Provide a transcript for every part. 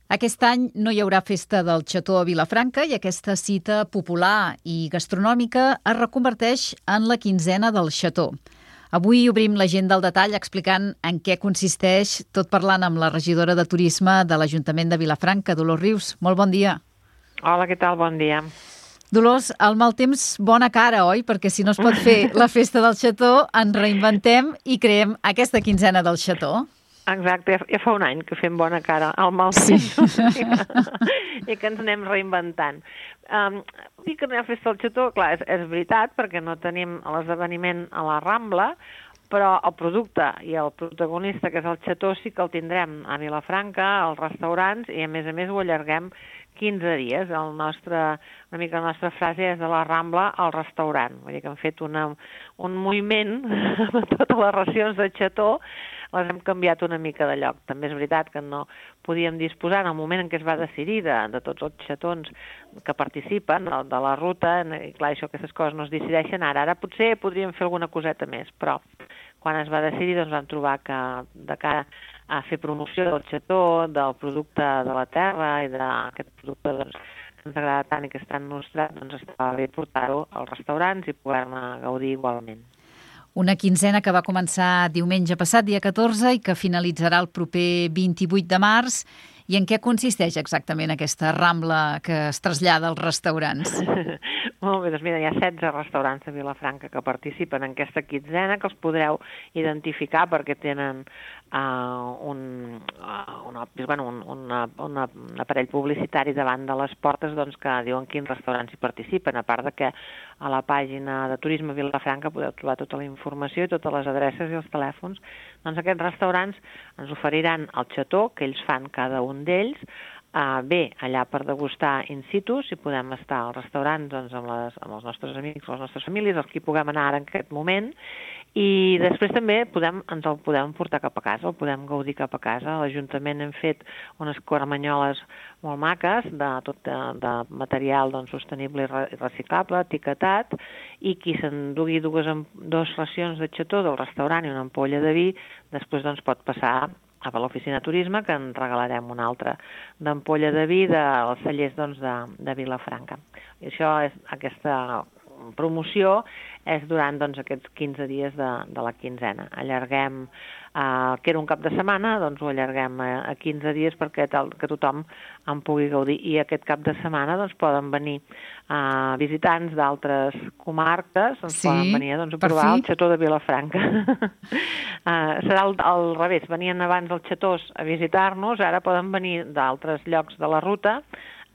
Aquest any no hi haurà festa del xató a Vilafranca i aquesta cita popular i gastronòmica es reconverteix en la quinzena del xató. Avui obrim l'agenda al detall explicant en què consisteix, tot parlant amb la regidora de Turisme de l'Ajuntament de Vilafranca, Dolors Rius. Molt bon dia. Hola, què tal? Bon dia. Dolors, al mal temps, bona cara, oi? Perquè si no es pot fer la festa del xató, ens reinventem i creem aquesta quinzena del xató. Exacte, ja fa un any que fem bona cara al mal temps i que ens anem reinventant. Dir que no hi ha festa del xató, clar, és veritat, perquè no tenim l'esdeveniment a la Rambla, però el producte i el protagonista, que és el xató, sí que el tindrem a Vilafranca, als restaurants, i a més ho allarguem 15 dies. Una mica la nostra frase és de la Rambla al restaurant. Vull dir que hem fet un moviment amb totes les racions de xató, les hem canviat una mica de lloc. També és veritat que no podíem disposar en el moment en què es va decidir de tots els xatons que participen de la ruta, i clar, aquestes coses no es decideixen ara. Ara potser podríem fer alguna coseta més, però quan es va decidir doncs vam trobar que de cara a fer promoció del xató, del producte de la terra i d'aquest producte doncs, que ens agrada tant i que és tan nostrat, doncs estava bé portar-ho als restaurants i poder-ne gaudir igualment. Una quinzena que va començar diumenge passat, dia 14, i que finalitzarà el proper 28 de març. I en què consisteix exactament aquesta Rambla que es trasllada als restaurants? Molt bé, doncs mira, hi ha 16 restaurants a Vilafranca que participen en aquesta quinzena, que els podreu identificar perquè tenen un aparell publicitari davant de les portes doncs, que diuen quins restaurants hi participen, a part de que a la pàgina de Turisme Vilafranca podeu trobar tota la informació i totes les adreces i els telèfons. Doncs aquests restaurants ens oferiran el xató que ells fan cada un d'ells, bé allà per degustar in situ, si podem estar al restaurant doncs, amb els nostres amics, les nostres famílies, els que hi puguem anar ara en aquest moment, i després també ens el podem portar cap a casa, el podem gaudir cap a casa. A l'Ajuntament hem fet unes caramanyoles molt maques de material doncs, sostenible i reciclable, etiquetat, i qui s'endugui dues racions de xató del restaurant i una ampolla de vi, després doncs, pot passar a l'oficina de turisme, que en regalarem una altra d'ampolla de vi dels cellers doncs, de Vilafranca. I aquesta promoció és durant doncs, aquests 15 dies de la quinzena. Allarguem, que era un cap de setmana, doncs ho allarguem a 15 dies perquè que tothom en pugui gaudir. I aquest cap de setmana doncs, poden venir visitants d'altres comarques, poden venir doncs, a provar el xató de Vilafranca. Serà al revés, venien abans els xatós a visitar-nos, ara poden venir d'altres llocs de la ruta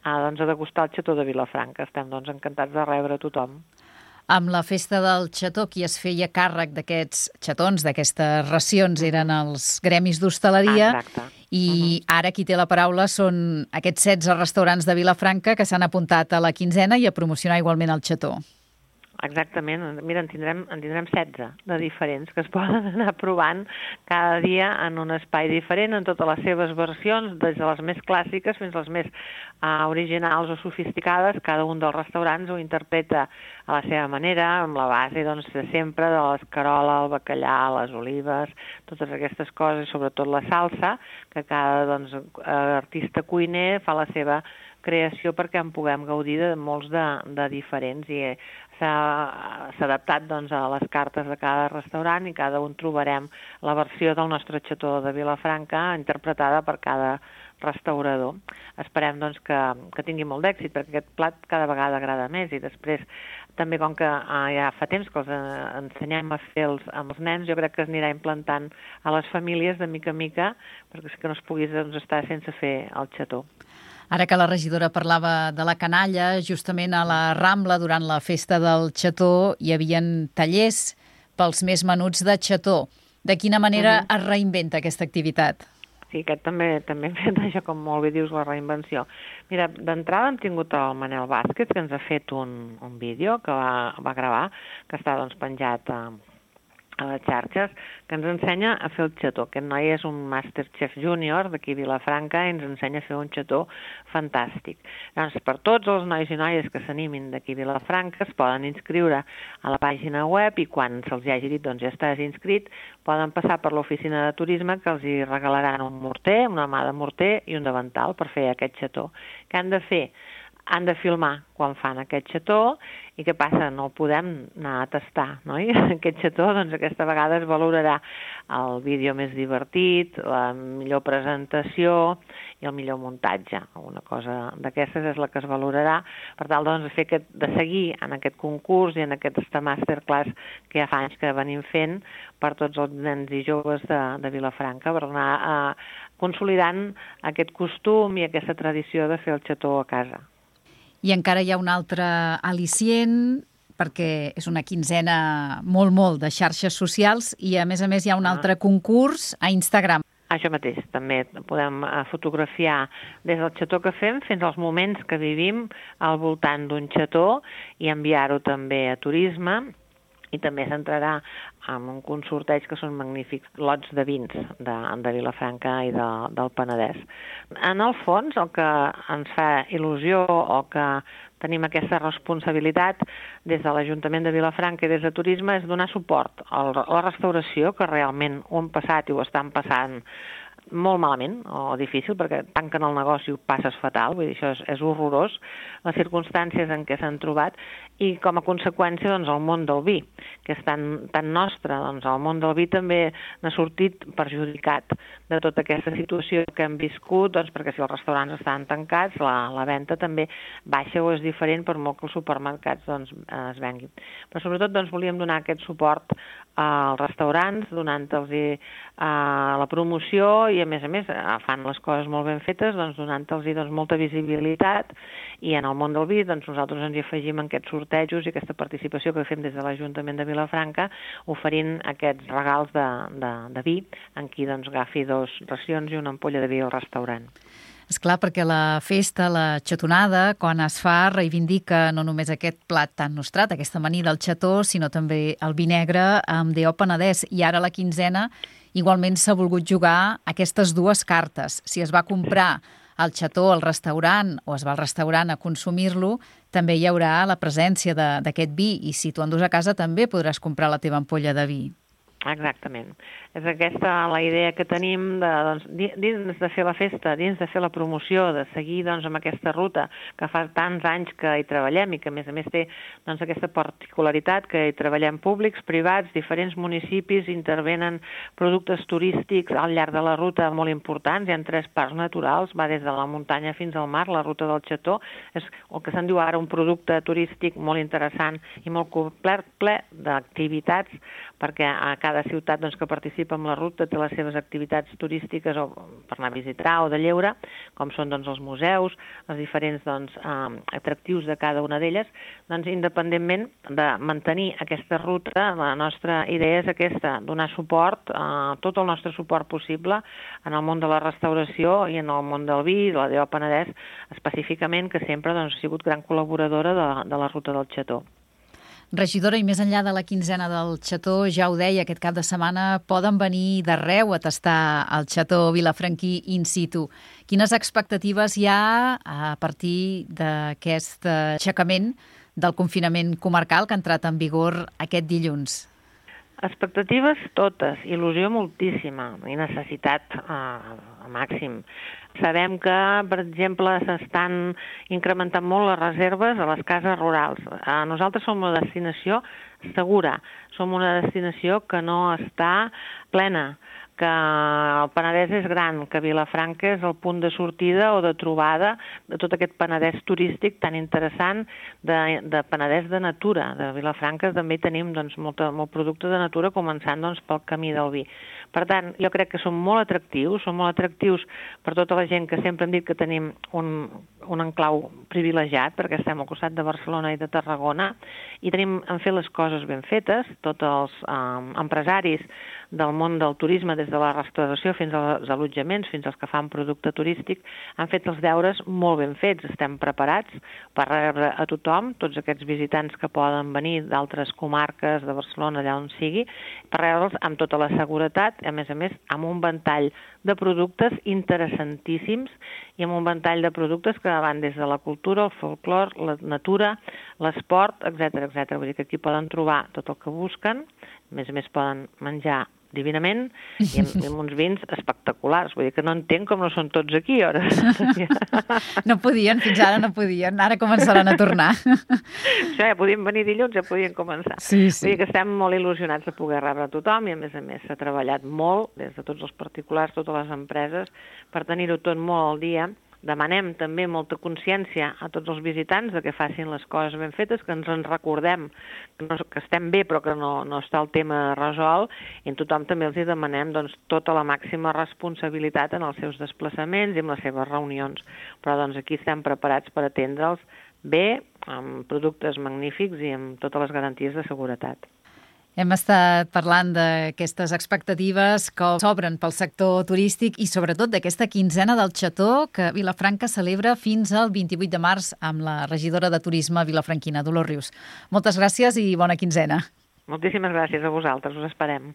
doncs, a degustar el xató de Vilafranca. Estem doncs, encantats de rebre tothom. Amb la festa del xató, qui es feia càrrec d'aquests xatons, d'aquestes racions, eren els gremis d'hostaleria. Exacte. I ara qui té la paraula són aquests 16 restaurants de Vilafranca que s'han apuntat a la quinzena i a promocionar igualment el xató. Exactament. Mira, en tindrem 16 de diferents que es poden anar provant cada dia en un espai diferent, en totes les seves versions, des de les més clàssiques fins a les més originals o sofisticades. Cada un dels restaurants ho interpreta a la seva manera, amb la base doncs, de sempre, de l'escarola, el bacallà, les olives, totes aquestes coses, i sobretot la salsa, que cada artista cuiner fa la seva creació perquè en puguem gaudir de molts de diferents, i s'ha adaptat doncs, a les cartes de cada restaurant i cada un trobarem la versió del nostre xató de Vilafranca interpretada per cada restaurador. Esperem doncs, que tingui molt d'èxit perquè aquest plat cada vegada agrada més, i després també com que ja fa temps que els ensenyem a fer amb els nens, jo crec que es anirà implantant a les famílies de mica en mica perquè que no es pugui estar sense fer el xató. Ara que la regidora parlava de la canalla, justament a la Rambla, durant la festa del xató, hi havia tallers pels més menuts de xató. De quina manera es reinventa aquesta activitat? Sí, aquest també hem fet això, com molt bé dius, la reinvenció. Mira, d'entrada hem tingut el Manel Vázquez, que ens ha fet un vídeo que va gravar, que està doncs, penjat a les xarxes, que ens ensenya a fer el xató. Aquest noi és un Masterchef Júnior d'aquí a Vilafranca i ens ensenya a fer un xató fantàstic. Doncs per tots els nois i noies que s'animin d'aquí a Vilafranca es poden inscriure a la pàgina web i quan se'ls hagi dit doncs ja estàs inscrit, poden passar per l'oficina de turisme que els hi regalaran un morter, una mà de morter i un davantal per fer aquest xató. Què han de fer? Han de filmar quan fan aquest xató i què passa? No el podem anar a tastar, no? Aquest xató, doncs aquesta vegada es valorarà el vídeo més divertit, la millor presentació i el millor muntatge. Una cosa d'aquestes és la que es valorarà per tal doncs, de seguir en aquest concurs i en aquesta masterclass que ja fa anys que venim fent per tots els nens i joves de Vilafranca per anar consolidant aquest costum i aquesta tradició de fer el xató a casa. I encara hi ha un altre al·licient, perquè és una quinzena molt de xarxes socials i, a més hi ha un altre concurs a Instagram. Això mateix, també podem fotografiar des del xató que fem fins als moments que vivim al voltant d'un xató i enviar-ho també a turisme. I també s'entrarà en un sorteig que són magnífics lots de vins de Vilafranca i del Penedès. En el fons, el que ens fa il·lusió o que tenim aquesta responsabilitat des de l'Ajuntament de Vilafranca i des de Turisme és donar suport a la restauració, que realment ho han passat i ho estan passant molt malament o difícil, perquè tanquen el negoci i ho passes fatal, vull dir, això és horrorós, les circumstàncies en què s'han trobat, i com a conseqüència doncs, el món del vi, que és tan nostre, doncs el món del vi també n'ha sortit perjudicat de tota aquesta situació que hem viscut, doncs, perquè si els restaurants estan tancats, la venda també baixa o és diferent per molt que els supermercats doncs, es venguin. Però sobretot doncs, volíem donar aquest suport als restaurants, donant-los la promoció i a més fan les coses molt ben fetes, doncs, donant-los doncs, molta visibilitat i en el món del vi doncs, nosaltres ens hi afegim en aquests sortejos i aquesta participació que fem des de l'Ajuntament de Vilafranca oferint aquests regals de vi en qui doncs, agafi 2 racions i una ampolla de vi al restaurant. És clar, perquè la festa, la xatonada, quan es fa, reivindica no només aquest plat tan nostrat, aquesta amanida del xató, sinó també el vi negre amb D.O. Penedès. I ara la quinzena igualment s'ha volgut jugar aquestes 2 cartes. Si es va comprar el xató al restaurant o es va al restaurant a consumir-lo, també hi haurà la presència d'aquest vi. I si tu endús a casa també podràs comprar la teva ampolla de vi. Exactament. És aquesta la idea que tenim dins de fer la festa, dins de fer la promoció, de seguir doncs, amb aquesta ruta que fa tants anys que hi treballem i que a més té doncs, aquesta particularitat que hi treballem públics, privats, diferents municipis, intervenen productes turístics al llarg de la ruta molt importants, hi ha 3 parcs naturals, va des de la muntanya fins al mar, la ruta del xató, és el que se'n diu ara un producte turístic molt interessant i molt complet, ple d'activitats, perquè a cada ciutat doncs, que participa en la ruta té les seves activitats turístiques o per anar a visitar o de lleure, com són doncs, els museus, els diferents doncs, atractius de cada una d'elles, doncs, independentment de mantenir aquesta ruta, la nostra idea és aquesta, donar suport, tot el nostre suport possible en el món de la restauració i en el món del vi, la D.O. Penedès específicament, que sempre doncs, ha sigut gran col·laboradora de la ruta del xató. Regidora, i més enllà de la quinzena del xató, ja ho deia, aquest cap de setmana poden venir d'arreu a tastar el xató vilafranquí in situ. Quines expectatives hi ha a partir d'aquest aixecament del confinament comarcal que ha entrat en vigor aquest dilluns? Expectatives totes, il·lusió moltíssima i necessitat a màxim. Sabem que, per exemple, s'estan incrementant molt les reserves a les cases rurals. Nosaltres som una destinació segura, som una destinació que no està plena, que el Penedès és gran, que Vilafranca és el punt de sortida o de trobada de tot aquest Penedès turístic tan interessant, de Penedès de natura. De Vilafranca també tenim doncs, molt producte de natura, començant doncs, pel camí del vi. Per tant, jo crec que són molt atractius per tota la gent que sempre hem dit que tenim un enclau privilegiat perquè estem al costat de Barcelona i de Tarragona i tenim en fer les coses ben fetes. Tots els empresaris del món del turisme, des de la restauració fins als allotjaments, fins als que fan producte turístic, han fet els deures molt ben fets. Estem preparats per rebre a tothom, tots aquests visitants que poden venir d'altres comarques, de Barcelona, allà on sigui, per rebre'ls amb tota la seguretat, a més, amb un ventall de productes interessantíssims i amb un ventall de productes que van des de la cultura, el folclor, la natura, l'esport, etc. Vull dir que aquí poden trobar tot el que busquen, a més poden menjar divinament i amb uns vins espectaculars. Vull dir que no entenc com no són tots aquí, ara. No podien, fins ara no podien. Ara començaran a tornar. Això ja podien venir dilluns, ja podien començar. Sí. Vull dir que estem molt il·lusionats de poder rebre a tothom i, a més s'ha treballat molt des de tots els particulars, totes les empreses, per tenir-ho tot molt al dia. Demanem també molta consciència a tots els visitants de que facin les coses ben fetes, que ens en recordem que estem bé però que no està el tema resolt, i a tothom també els demanem tota la màxima responsabilitat en els seus desplaçaments i en les seves reunions. Però aquí estem preparats per atendre'ls bé, amb productes magnífics i amb totes les garanties de seguretat. Hem estat parlant d'aquestes expectatives que s'obren pel sector turístic i sobretot d'aquesta quinzena del Xató que Vilafranca celebra fins al 28 de març amb la regidora de Turisme vilafranquina, Dolors Rius. Moltes gràcies i bona quinzena. Moltíssimes gràcies a vosaltres, us esperem.